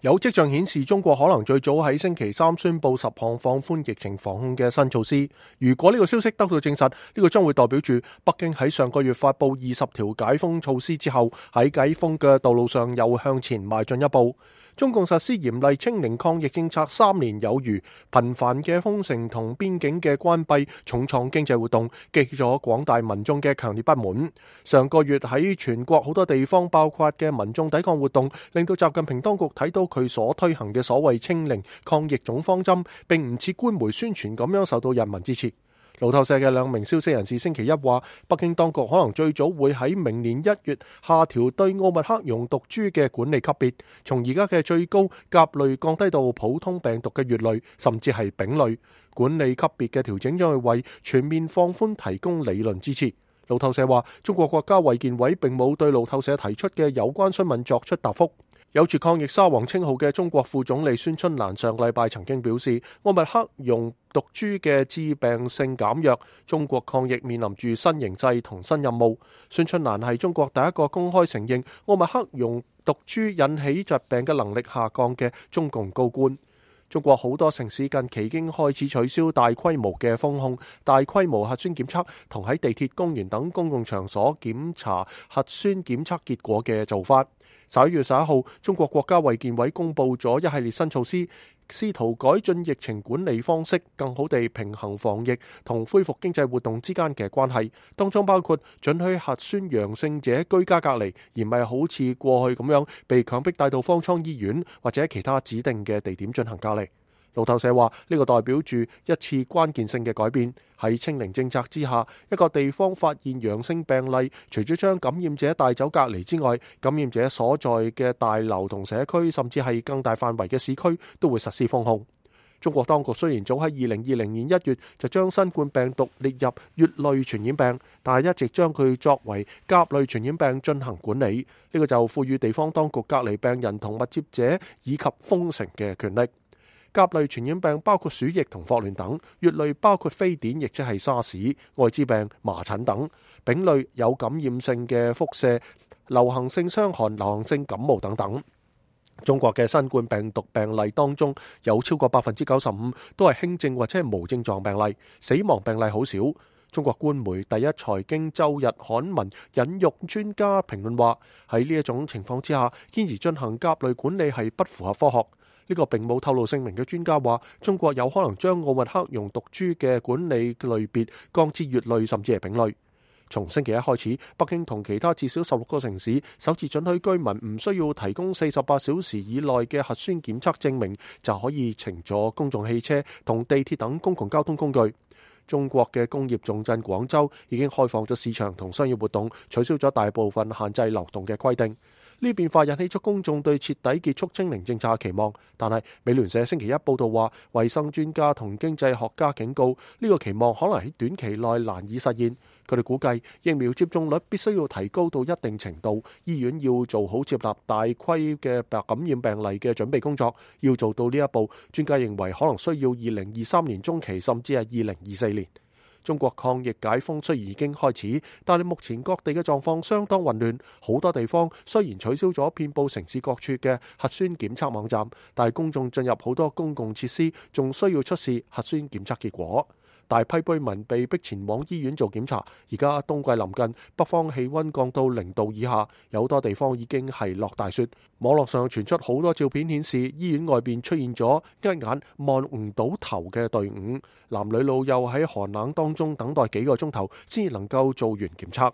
有跡象顯示中國可能最早喺星期三宣布10項放寬疫情防控嘅新措施。如果呢個消息得到證實，呢個將會代表住北京喺上個月發布20條解封措施之後，喺解封嘅道路上又向前邁進一步。中共實施嚴厲清零抗疫政策3年有餘，頻繁嘅封城同邊境嘅關閉重創經濟活動，激起咗廣大民眾嘅強烈不滿。上個月喺全國好多地方爆發嘅民眾抵抗活動，令到習近平當局睇到佢所推行嘅所謂清零抗疫總方針並唔似官媒宣傳咁樣受到人民支持。路透社嘅2名消息人士星期一話，北京當局可能最早會喺明年1月下調對奧密克戎毒株嘅管理級別，從而家嘅最高甲類降低到普通病毒嘅乙類，甚至係丙類。管理級別嘅調整將會為全面放寬提供理論支持。路透社話，中國國家衛健委並冇對路透社提出嘅有關詢問作出答覆。有住抗疫沙皇稱號嘅中國副總理孫春蘭上個禮拜曾經表示，奧密克戎毒株嘅致病性減弱，中國抗疫面臨住新形勢同新任務。孫春蘭係中國第一個公開承認奧密克戎毒株引起疾病嘅能力下降嘅中共高官。中國好多城市近期已經開始取消大規模嘅封控、大規模核酸檢測同喺地鐵、公園等公共場所檢查核酸檢測結果嘅做法。11月11號，中國國家衛健委公布咗一系列新措施，試圖改進疫情管理方式，更好地平衡防疫同恢復經濟活動之間嘅關係。當中包括准許核酸陽性者居家隔離，而唔係好似過去咁樣被強迫帶到方艙醫院或者其他指定嘅地點進行隔離。路透社話，呢個代表住一次關鍵性嘅改變。喺清零政策之下，一個地方發現陽性病例，除咗將感染者帶走隔離之外，感染者所在嘅大樓同社區，甚至係更大範圍嘅市區，都會實施封控。中國當局雖然早喺2020年1月就將新冠病毒列入乙類傳染病，但係一直將佢作為甲類傳染病進行管理。呢個就賦予地方當局隔離病人同密接者以及封城嘅權力。甲類傳染病包括鼠疫同霍亂等，乙類包括非典，亦即係沙士、愛滋病、麻疹等。丙類有感染性嘅輻射、流行性傷寒、流行性感冒等等。中國嘅新冠病毒病例當中有超過95%都係輕症或者係無症狀病例，死亡病例好少。中國官媒第一財經周日刊文引用專家評論話，喺呢一種情況之下，堅持進行甲類管理係不符合科學。呢個並冇透露姓名嘅專家話，中國有可能將奧密克戎毒株嘅管理類別降至乙類甚至係丙類。從星期一開始，北京同其他至少16個城市首次准許居民唔需要提供48小時以內嘅核酸檢測證明，就可以乘坐公眾汽車同地鐵等公共交通工具。中國嘅工業重鎮廣州已經開放咗市場同商業活動，取消咗大部分限制流動嘅規定。呢變化引起咗公眾對徹底結束清零政策嘅期望，但係美聯社星期一報道話，衛生專家同經濟學家警告，呢個期望可能喺短期內難以實現。佢哋估計疫苗接種率必須要提高到一定程度，醫院要做好接納大規嘅感染病例嘅準備工作。要做到呢一步，專家認為可能需要2023年中期，甚至係2024年。中國抗疫解封雖然已經開始，但係目前各地嘅狀況相當混亂。好多地方雖然取消咗遍佈城市各處嘅核酸檢測網站，但係公眾進入好多公共設施仲需要出示核酸檢測結果。大批居民被迫前往醫院做檢查。而家冬季臨近，北方氣溫降到0度以下，有好多地方已經係落大雪。網絡上傳出好多照片顯示，醫院外邊出現咗一眼望唔到頭嘅隊伍，男女老幼喺寒冷當中等待幾個鐘頭先能夠做完檢測。